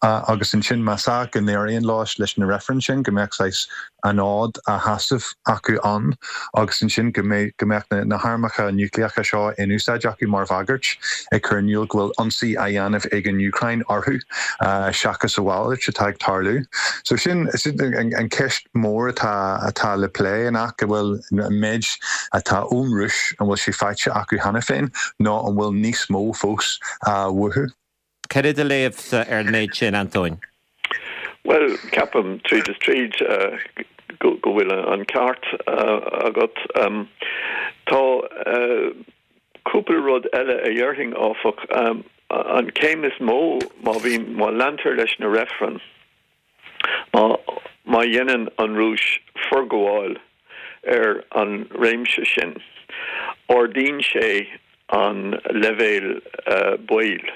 agus ansin más ea go n-éiríonn leo leis na reifrinn sin go mbeadh saghas an fhód a sheasamh acu ann agus ansin go mbeidh go mbeadh na harmacha núicléacha seo in úsáid acu mar bhagairt ag cur in iúl go bhfuil ionsaí á dhéanamh ag an Úcráin orthu seachas a mhalairt atá ag tarlú. So sin an ceist mór atá atá le plé an ea go bhfuil an méid atá ón Rúis an bhfuil sé faighte acu cheana féin nó an bhfuil níos mó fós uathu. Cad é do léamhsa ar an méid sin, Antóin? Bhuel, ceapaim tríd is tríd go bhfuil an ceart agat. Tá cúpla rud eile a dhéarfainn, áfach. An chéim is mó má bhíonn, má leantar leis na reifrinn, má má dhéanann an Rúis forghabháil ar an réimse sin, ardaíonn sé an leibhéal baoil,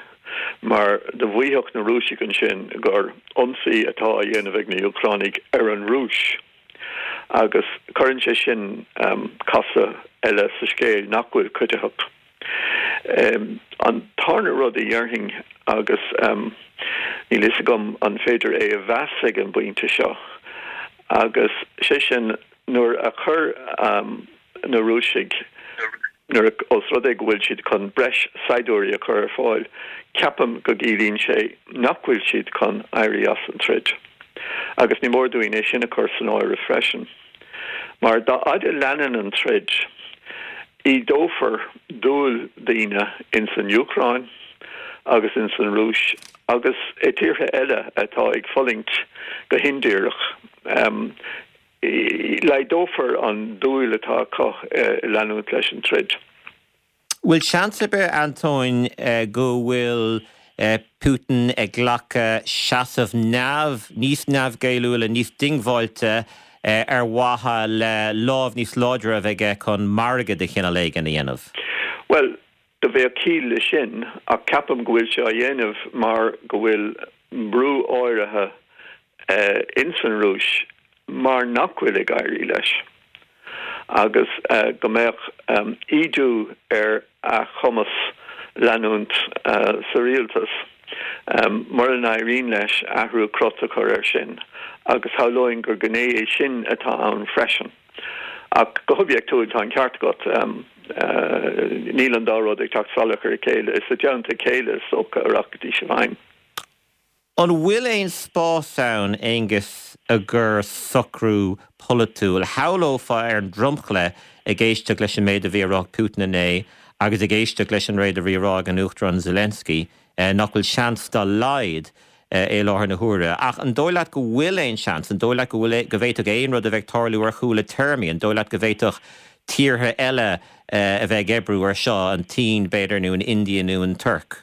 mar do mhaífeadh na Rúisigh ansin gur ionsaí atá á dhéanamh ag na hÚcránaigh ar an Rúis, agus cuireann sé sin casadh eile sa scéal nach bhfuil cuiditheach. An tarna rud a dhéarfainn, agus níl fhios agam an féidir é a mheas ag an bpointe seo, agus sé sin nuair a chuir na Rúisigh, nuair a, ós rud é go bhfuil siad chun breis saighdiúirí a chur ar fáil, ceapaim go gciallaíonn sé nach bhfuil siad chun éirí as an troid. Agus ní mór dúinn é sin a chur san áireamh freisin. Mar dá fhaide a leanann an troid, ídeofar dúil daoine ins an Úcráin agus ins an Rúis agus i tíortha eile atá ag fulaingt go hindíreach. Laghdófar an dúil atá acu i leanúint leis an troid. Bhfuil seans ar bith, Antóin, go bhfuil Putin ag glacadh seasamh neamh, níos neamhghéilliúla, níos diongbháilte ar mhaithe le lámh níos láidre a bheith aige chun margadh de chineál éigin a dhéanamh? Bhuel, do bheadh ciall le sin, ach ceapaim go bhfuil sé á dhéanamh mar go bhfuil brú áirithe ins an Rúis mar nach bhfuil ag éirí leis agus go mbeadh ídiú ar a chumas leanúint sa rialtas mura n-éiríonn leis athrú crot a chur air sin agus shamhlóinn gur gné é sin atá ann freisin. Ach go hoibiachtúil tá an ceart agat, níl an dá rud ag teacht salach ar a chéile, is i dteannta a chéile is dócha a rachaidís i bhfeidhm. An bhfuil aon spás ann, Aengus, i gcomhair socrú polaitiúil? Shamhlófá ar an dromchla ag éisteacht leis an méid a bhí á rá ag Putin inné agus ag éisteacht leis an méid a bhí á rá ag an Uachtarán Zelensky nach bhfuil seans dá laghad i láthair na huaire. Ach an dóigh leat go bhfuil aon seans? An dóigh leat go bhfuil, go bhféadfadh aon rud a bheith ag tarlú ar chúla téarmaí? An dóigh leat go bhféadfadh tíortha eile a bheith ag oibriú ar seo, an tSín, b'fhéidir, nó an India nó an Tuirc?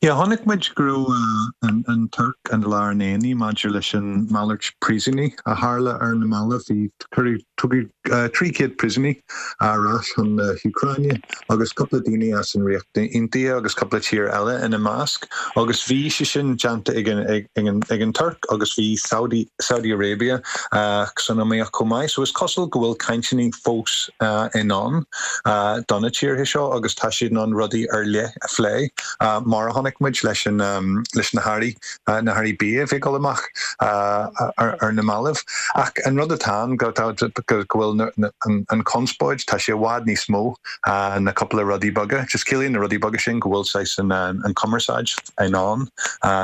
Yeah, chonaic muid go raibh an Tuirc i lár an aonaigh maidir leis an malairt príosúnaigh a tharla ar na mallaibh. Bhí, cuireadh, tugadh trí chéad príosúnaigh ar ais chun na hÚcráine agus cúpla daoine as an Ríocht Aontaithe agus cúpla tír eile ina measc agus bhí sé sin déanta ag an, ag an, ag an Tuirc agus bhí Saudi, Saudi Arabia san iomaíocht chomh maith. So is cosúil go bhfuil cainteanna fós i ndán do na tíortha seo agus tá siad in ann rudaí ar leith a phlé. Mar a chonaic muid leis an leis na hearraí, na hearraí bia a bhí ag dul amach ar na mallaibh. Ach an rud atá ann go go bhfuil an chonspóid, tá sé i bhfad níos mó ná cúpla rudaí beaga. Just ciallaíonn na rudaí beaga sin go bhfuil saghas an an chumarsáid i ndán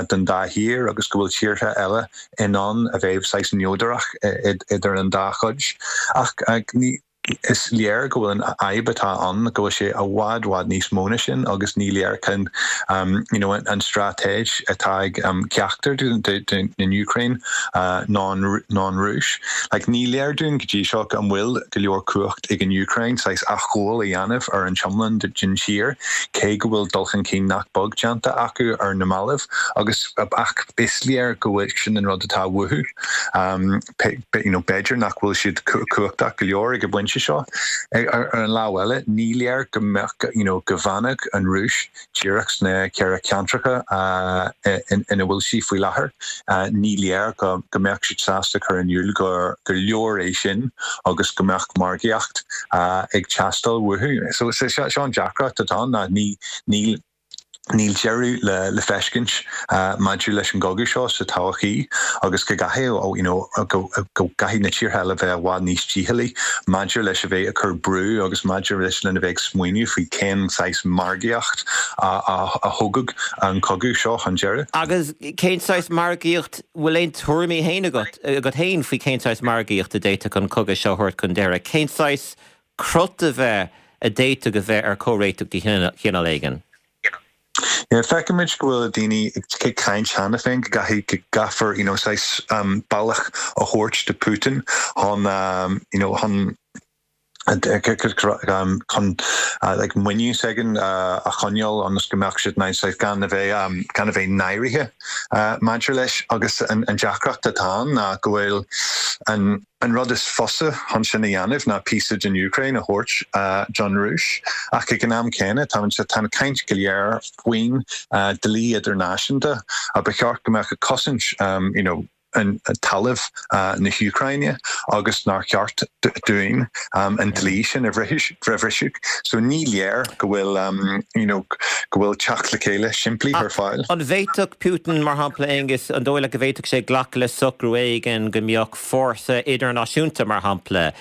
don dá thír agus go bhfuil tíortha eile in ann a bheith saghas neodrach idir an dá chuid. Ach ní Is léir go bhfuil an fhadhb atá ann, go bhfuil sé i bhfad, bhfad níos mó ná sin agus ní léir cén you know an straitéis atá ag ceachtar den Úcráin ná an Rúis. Like ní léir dúinn go dtí seo an bhfuil go leor cumhacht ag an Úcráin saghas athghabháil a dhéanamh ar an iomlán den tír, cé go bhfuil dul chun cinn nach beag déanta acu ar na mallaibh agus ach is léir go bhfuil sin an rud atá uathu. You know b'fhéidir nach bhfuil siad cumhachtach go leor ag an bpointe seo. Ar an lámh eile, ní léir go mbeadh, you know, go bhfanfadh an Rúis díreach sna ceithre ceantracha ina bhfuil sí faoi láthair. Ní léir go mbeadh siad sásta cur in iúl gur leor é sin agus go mbeadh margaíocht ag teastáil uathu. So seo an deacracht atá ann ná ní, níl, Níl deireadh le feiscint maidir leis an gcogadh seo sa todhchaí agus go gcaithfidh you know go gcaithfidh na tíortha eile bheith i bhfad níos dícheallaí maidir leis a bheith ag cur brú agus maidir leis lena bheith ag smaoineamh faoi cén saghas margaíocht a thógfadh an cogadh seo chun deireadh. Agus cén saghas margaíocht, bhfuil aon tuairimí féin agat agat féin faoi cén saghas margaíocht a d'fhéadfadh an cogadh seo a thabhairt chun deireadh? Cén saghas crot a bheith a d'fhéadfadh a bheith ar chomhréiteach de chineál éigin? Yeah, feicimid go bhfuil daoine ag caint cheana féin go gcaithfidh go gcaithfear you know, saghas um, bealach a thabhairt do Putin chun um, you know, chun um, chun uh, like muinín s'aige uh, a choinneáil ionas go mbeadh siad saghas gan a bheith um, gan a bheith náirithe uh, maidir leis agus an, an deacracht atá ná go bhfuil an an rud is fusa chun sin a dhéanamh ná píosa den Úcráin a thabhairt uh, don Rúis ach ag an am céanna tá tá caint go léir faoin uh, dlí idirnáisiúnta a ba cheart go mbeadh cosaint um, you know, an talamh uh, na hÚcráine agus nár cheart dúinn um, an dlí sin a bhriseadh. So ní léir go bhfuil um, you know, go bhfuil teacht le chéile simplí ar fáil. An bhféadfadh Putin mar shampla Aengus an dóigh leat go bhféadfadh sé glacadh le socrú éigin go mbeadh fórsa idirnáisiúnta mar shampla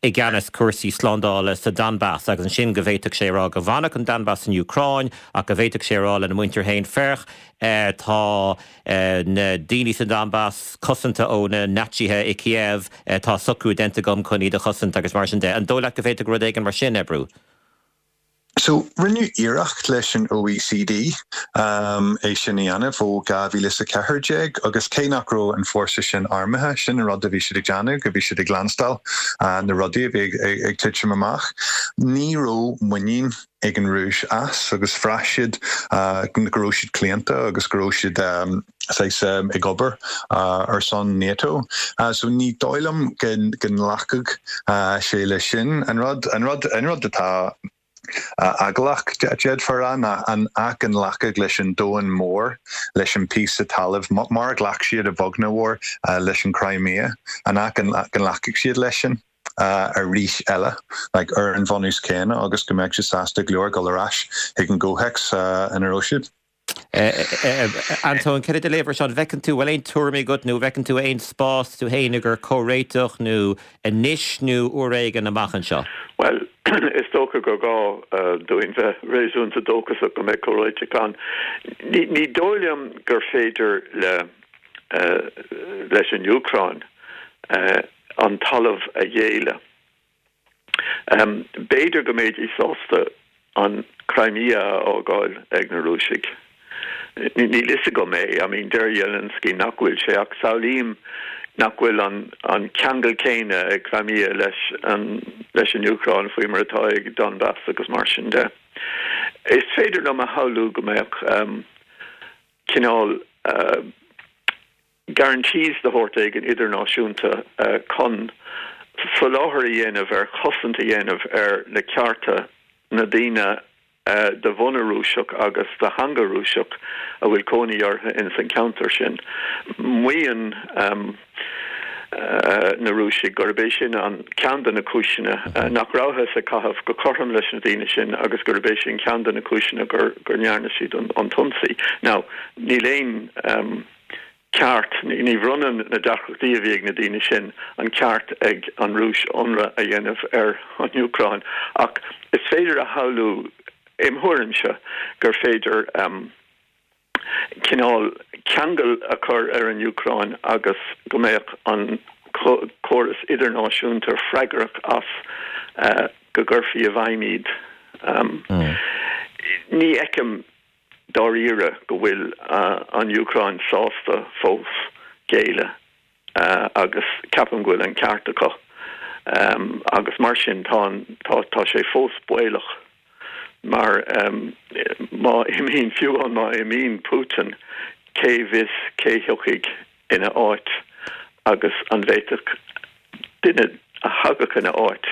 i gceannas cúrsaí slándála sa Donbass agus ansin go bhféadfadh sé rá go bhfanfadh an Donbass san Úcráin ach go bhféadfadh sé rá lena muintir féin féach eh, tá eh, na daoine sa Donbass cosanta ó na Naitsithe i Kiev eh, tá socrú déanta agam chun iad a chosaint agus mar sin de. An dóigh leat go bhféadfadh rud éigin mar sin oibriú. So rinneadh iarracht leis an OECD um, é sin a dhéanamh ó dhá mhíle a ceathair déag agus cé nach raibh an fórsa sin armtha sin an rud a bhí siad ag déanamh go bhí siad ag leanstáil uh, na rudaí a bhí ag, ag, ag titim amach. Ní raibh muinín ag an Rúis as agus bhraith siad uh, go raibh siad claonta agus go raibh siad um, um, ag obair uh, ar son NATO. Uh, so ní dóigh liom go nglacfadh uh, sé leis sin an rud an rud an rud atá eaglach d'fhéadfá rá ná an ach an nglacfadh leis an domhan mór leis an píosa talaimh mar ghlac siad i bhfoghna mhór leis an Crimea an ach an nglacfadh siad leis sin uh, arís eile like, ar an bhunús céanna agus go mbeidh siad sásta go leor dul ar ais ag an gcomhthéacs uh, ina raibh siad. Antóin cad é do léamh air seo bhfeiceann tú bhfuil aon tuairim agat nó bhfeiceann tú aon spás tú féin gur comhréiteach nó anois nó uair éigin amach anseo. Well, is dócha gur gá uh, dúinn bheith réasúnta dóchasach go mbeidh comhréiteach ann. Ní, ní dóigh liom gur féidir le uh, leis an Úcráin uh, an talamh a ghéilleadh. Um, B'fhéidir go mbeidís sásta an Crimea a fhágáil ag na Rúisigh. Ní lisa go mé, I mean deir Zelensky nach bhfuil sé ach samhlaím nach bhfuil an, an ceangal céanna ag Crimea leis an, leis an Úcráin faoi mar atá ag Donbass agus mar sin de. Is féidir liom a shamhlú go mbeadh um, cineál uh, guarantees de shórt éigin idirnáisiúnta uh, chun soláthar a dhéanamh ar chosaint a dhéanamh ar na cearta na daoine uh, de bhunadh Rúiseach agus de theanga Rúiseach a bhfuil cónaí orthu in san ceantar sin. Maíonn um, uh, na Rúisigh gurb é sin an ceann de na cúiseanna uh, nach rabhthas ag caitheamh go cothrom leis na daoine sin agus gurb é sin ceann de na cúiseanna gur gur ndearna siad an, an t-ionsaí. Now, níl aon um, ceart ní bhronnann na deacrachtaí a bhí ag na daoine sin an ceart ag an Rúis ionradh a dhéanamh ar an Úcráin ach is féidir a shamhlú im thuairimse gur féidir um, cineál ceangal a chur ar an Úcráin agus go mbeadh an córas idirnáisiúnta freagrach as uh, go gcuirfí i bhfeidhm iad. Um, mm. Ní fheicim dáiríre go bhfuil uh, an Úcráin sásta fós géilleadh uh, agus ceapaim go bhfuil an ceart acu. Um, agus mar sin tá tá, tá sé fós baolach mar um, má imíonn fiú an má imíonn Putin cé bhfios cé thiocfaidh ina áit agus an bhféadfadh duine a thagadh ina áit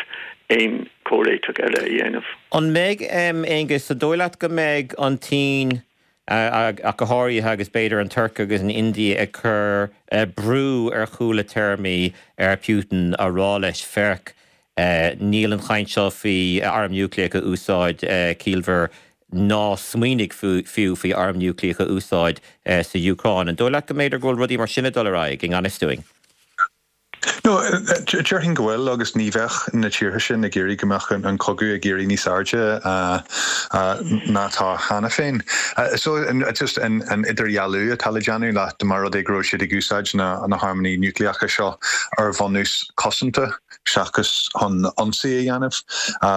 aon chomhréiteach eile a dhéanamh. An mbeidh um, Aengus an dóigh leat go mbeidh an tSín uh, ach go háirithe agus b'fhéidir an Tuirc agus an India ag cur uh, brú ar chúla téarmaí ar Putin a rá leis féach Uh, níl an chaint seo faoi arm núicléach a úsáid uh, ciallmhar ná smaoinigh fiú faoi arm núicléach a úsáid uh, sa Úcráin. An dóigh leat go mb'fhéidir go bhfuil rudaí mar sin ag dul ar aghaidh i ngan fhios dúinn. No, déarfainn go bhfuil agus ní bheadh na tíortha sin ag iarraidh go mbeadh an cogadh ag éirí níos airde ná atá cheana féin. So just an idirdhealú atá le déanamh leat mar rud é go raibh siad ag úsáid na na harmanna núicléacha seo ar bhunús cosanta seachas chun ionsaí a dhéanamh,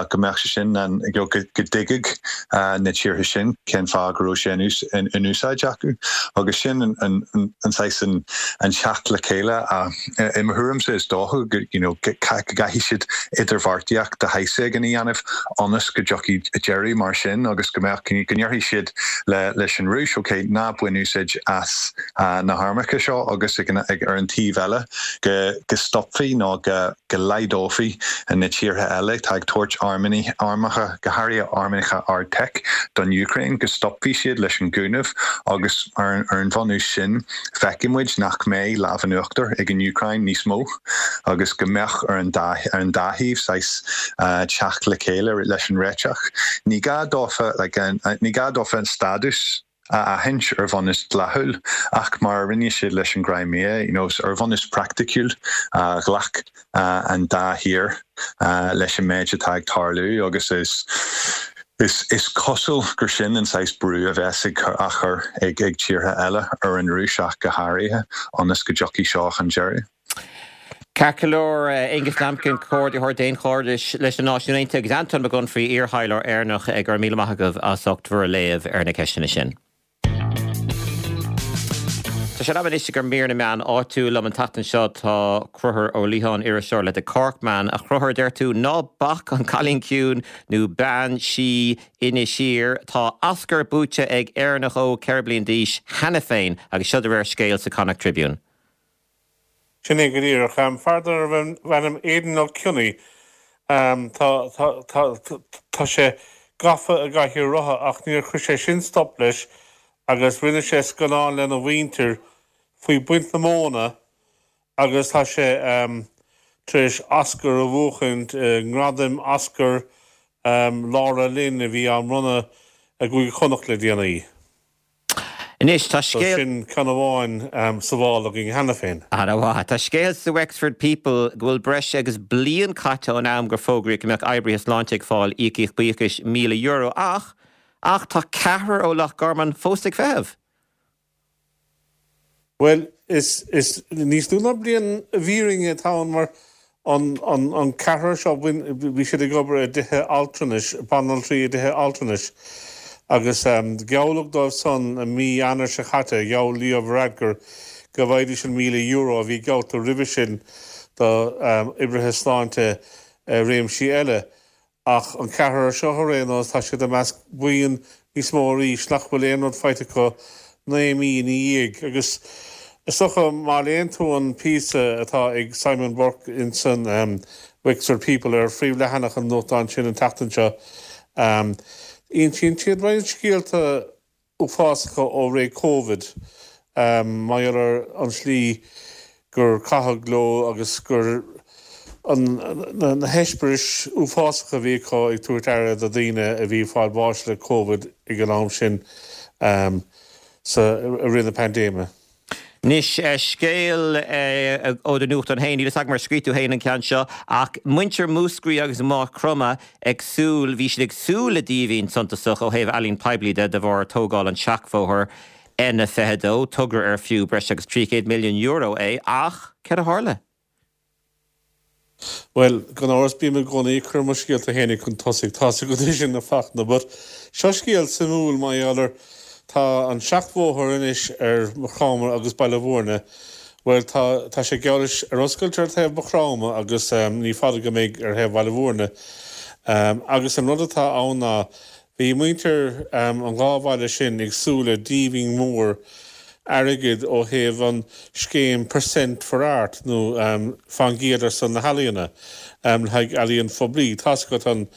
go mbeadh sé sin an go dtuigfeadh na tíortha sin cén fáth go raibh sé in úsáid acu agus sin an saghas an teacht le chéile i mo thuairimse is dócha go you know go gcaithfidh siad idirbheartaíocht de shaghas éigin a dhéanamh ionas go dtiocfaidh deireadh mar sin agus go mbeadh go ndéarfaidh siad le leis an Rúis ok ná bain úsáid as na harmacha seo agus ag ag ar an taobh eile go go stopfaí nó go go laghdófaí na tíortha eile atá ag tabhairt armanna armacha go háirithe armacha ardtech don Úcráin go stopfaí siad leis an gcúnamh agus ar ar an bhunús sin feicfidh muid nach mbeidh lámh in uachtar ag an Úcráin níos mó agus go mbeadh ar an dá ar an dá thaobh saghas teacht le chéile leis an réiteach. Ní gá dófa like, ní gá dófa an stádas a aithint ar bhunús dlíthiúil ach mar a rinne siad leis an gCrimea, you know, ar bhunús praiticiúil ghlac an dá thír leis an méid atá ag tarlú agus is Is is cosúil gur sin an saghas brú a bheas ag á chur ag ag tíortha eile ar an Rúis ach go háirithe ionas go dtiocfaidh seo chun deiridh. Ceart go leor, Aonghus Lambkin, Comhordaitheoir Daonchairdis leis na Náisiúin Aontaithe agus Anton Mac Unfraidh, iar-thaidhleoir Éireannach, go raibh míle maith agaibh as ucht bhur léamh ar na ceisteanna sin. Tá sé in am anois ag mír na meán áitiúil liom an tseachtain seo tá Conchúr Ó Liatháin iriseoir le The Corkman a Chonchúir deir tú ná bac an Cailín Ciúin nó Bean Sí Inis Oírr tá Oscar buaite ag Éireannach óg ceithre bliana d'aois cheana féin agus seo de réir scéil sa Connacht Tribune. Sin é go díreach. Fear darbh ainm Aidan Ó Cionnaith tá sé gafa i gcathaoir rotha ach níor chuir sé sin stop leis agus rinne sé scannán lena mhuintir faoi baint na móna agus tá sé tar éis Oscar a bhuachaint, ngradaim Oscar Laura Lynn a bhí á mbronnadh i gCúige Chonnacht le déanaí. Anois tá scéal. Sin ceann amháin sa mhála againn cheana féin. Ana-mhaith. Tá scéal sa Wexford People go bhfuil breis agus bliain caite ón am gur fógraíodh go mbeadh oibrithe sláinte ag fáil íocaíocht buíochais míle euro ach ach tá ceathrar ó Loch Garman fós ag feitheamh. Bhuel, is is níos lú ná bliain i bhfírinne atá ann mar an an an ceathrar seo bhí siad ag obair i dtithe altranais, banaltraí i dtithe altranais agus gealladh dóibh san i mí Eanáir seo caite, gheall Leo Varadkar go bhfaighidís an míle euro a bhí geallta roimhe sin do oibrithe sláinte i réimsí eile. Ach an ceathrar seo ar aon nós, tá siad i measc buíon níos mó arís nach bhfuil aon rud faighte acu naoi mí ina dhiaidh. Agus is dócha má léann tú an píosa atá ag Simon Burke insan Wexford People ar phríomhleathanach an nuachtáin sin an tseachtain seo, insíonn siad roinnt scéalta uafásacha ó ré Covid mar gheall ar an tslí gur caitheadh leo agus gur na heispéiris uafásacha a bhí acu ag tabhairt aire do dhaoine a bhí ag fáil bháis le Covid ag an am sin sa i rith na paindéime. Anois, scéal ó do nuachtán féin, níl a fhios agam ar scríobh tú féin an ceann seo, ach muintir Mhúscraí agus Mhaigh Chromtha ag súil, bhí siad ag súil le díbhinn suntasach ó thaobh ealaín poiblí de de bharr tógáil an tseachbhóthair N a fiche dó, togra ar fiú breis agus trí chéad milliún euro é, ach céard a tharla? Bhuel, gan amhras bím i gcónaí ag cur mo scéalta fhéinig chun tosaigh, tá's agat é sin a Fhachtna, but seo scéal suimiúil mar gheall ar, tá an seachbhóthar anois ar Maigh Chromtha agus Baile Bhúirne, bhuel tá, tá sé geall leis ar oscailt ar thaobh Mhaigh Chromtha agus ní fada go mbeidh ar thaobh Bhaile Bhúirne. Agus an rud atá ann ná, Bhí muintir an dhá bhaile sin ag súil le díbhinn mhór airgid ó thaobh an scéim Percent for Art nó fán gcéad ar son na healaíona le haghaidh ealaíon phoiblí. Tá's agat an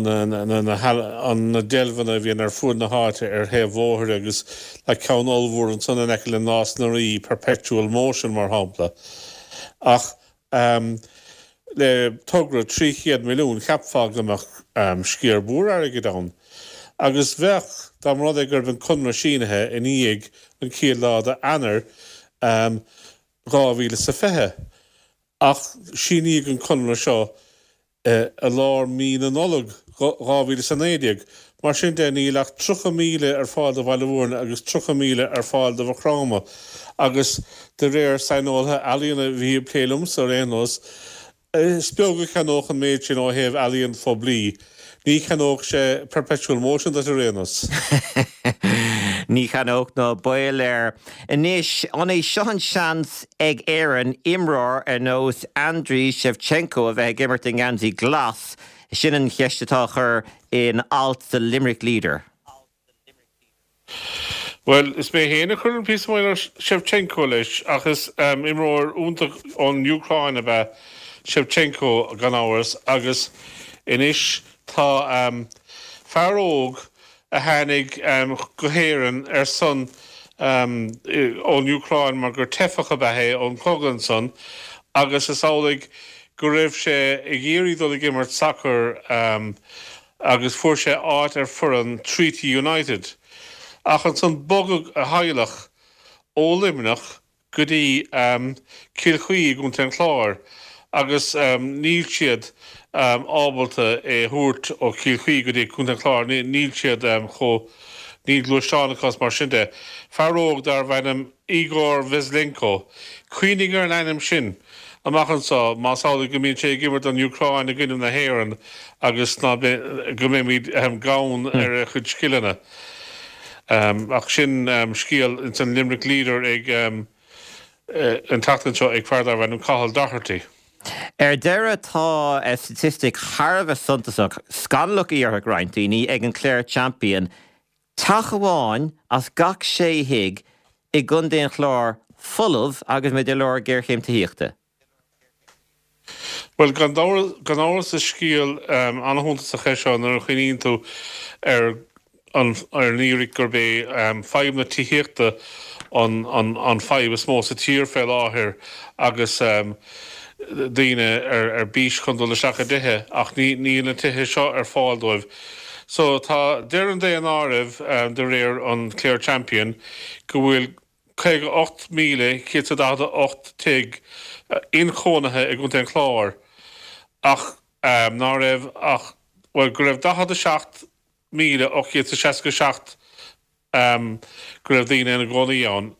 na deilbheanna a bhíonn ar fuaid na háite ar thaobh bhóthair agus tá ceann ollmhór ansan in aice le Nás na Rí, Perpetual Motion mar shampla. Ach. Le togra trí chéad milliún, cheapfá go mbeadh sciar mhór airgid ann. Agus bheadh, dá mba rud é go raibh an conradh sínithe i ndiaidh an chéad lá d'Eanáir dhá mhíle is a fiche. Ach síníodh an conradh seo i lár mí na Nollag dhá mhíle is a naoi déag. Mar sin de, níl ach tríocha míle ar fáil do Bhaile Mhúirne agus tríocha míle ar fáil do Mhaigh Chromtha agus de réir saineolaithe ealaíona a bhí ag plé liomsa ar aon nós, is beag a cheannódh an méid sin ó thaobh ealaíon phoiblí. Ní cheannódh sé Perpetual Motion duit ar aon nós. Ní cheannódh ná baol air. Anois, an é seo an seans ag Éirinn imreoir ar nós Andriy Shevchenko a bheith ag imirt i ngeansaí glas? Sin an cheist atá á chur in alt sa Limerick Leader. Bhuel, is mé féin a chuir an píosa maidir le Shevchenko leis, ach is imreoir iontach ón Úcráin ab ea Shevchenko gan amhras agus anois tá fear óg a tháinig go hÉirinn ar son ón Úcráin mar gur teifeach ab ea é ón chogadh ansan agus is amhlaidh go raibh sé ag iarraidh dul ag imirt sacair agus fuair sé áit ar foireann Treaty United. Ach ansan bogadh a theaghlach ó Luimneach go dtí Cill Chaoi i gContae an Chláir agus níl siad ábalta é a thabhairt ó Chill Chaoi go dtí Contae an Chláir, níl siad chomh, níl gluaisteán acu is mar sin de. Fear óg darbh ainm Igor Veslenko, cuimhnigh ar an ainm sin amach anseo más amhlaidh go mbíonn sé ag imirt don Úcráin i gcoinne na hÉireann agus ná go mbeimid gann ar a chuid scileanna. Ach sin scéal ins an Limerick Leader ag an tseachtain seo ag fear darbh ainm Cathal Doherty. Ar deireadh tá staitistic thar a bheith suntasach, scannalach a déarfadh roinnt daoine, ag an Clare Champion, teach amháin as gach sé thigh i gContae an Chláir folamh agus muid i lár géarchéim tithíochta. Bhuel, gan amhras is scéal an-shuntasach é seo nuair a chuimhníonn tú ar an fhíric gurb é fadhb na tithíochta an fadhb is mó sa tír fé láthair agus daoine ar bís chun dul isteach i dtithe ach níl na tithe seo ar fáil dóibh. So tá, deir an daonáireamh de réir an Clare Champion go bhfuil caoga ocht míle céad is daichead a hocht tigh inchónaithe i gContae an Chláir ach ná raibh ach, bhuel, go raibh daichead a seacht míle ocht gcéad is seasca a seacht go raibh daoine ina gcónaí ann,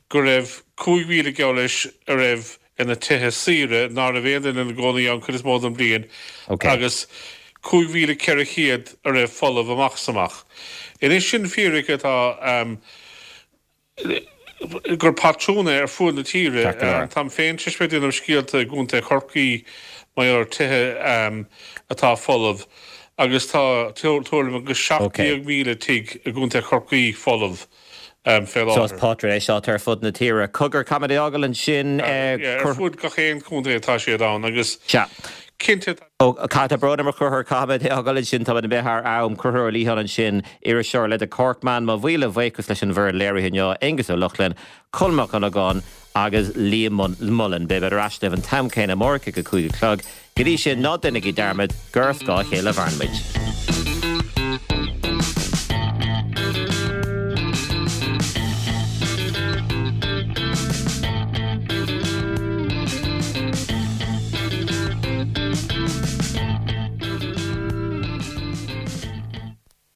go raibh cúig mhíle geall leis a raibh ina tithe saoire ná raibh aon duine ina gcónaí ann cuid is mó den bhliain agus cúig mhíle ceithre chéad a raibh folamh amach is amach. Anois sin fíric atá gur patrún é ar fuaid na tíre. Táim féin tar éis bheith ag déanamh scéalta i gContae Chorcaí mar gheall ar tithe atá folamh agus tá tuairim agus seacht déag míle tigh i gContae Chorcaí folamh fé So is láthair. pátrún é seo atá ar fud na tíre. Cogar, caithfimid é a fhágáil ansin. Ar fud gach aon chontae atá siad ann agus Sea. cinnte tá. Ó, tá brón orm a Chonchúir, caithfimid é a fhágáil ansin, táimid imithe thar am. Conchúr Ó Liatháin ansin, iriseoir le The Corkman. Mo mhíle bhuíochas leis an bhfoireann léirithe inniu, Aengus Ó Lochlainn, Colm Mac Dhonnagáin agus Liam Mullen. Beimid ar ais libh an t-am céanna amárach ag a cúig a chlog. Go dtí sin, ná déanaigí dearmad gur ar scáth a chéile a mhaireann muid.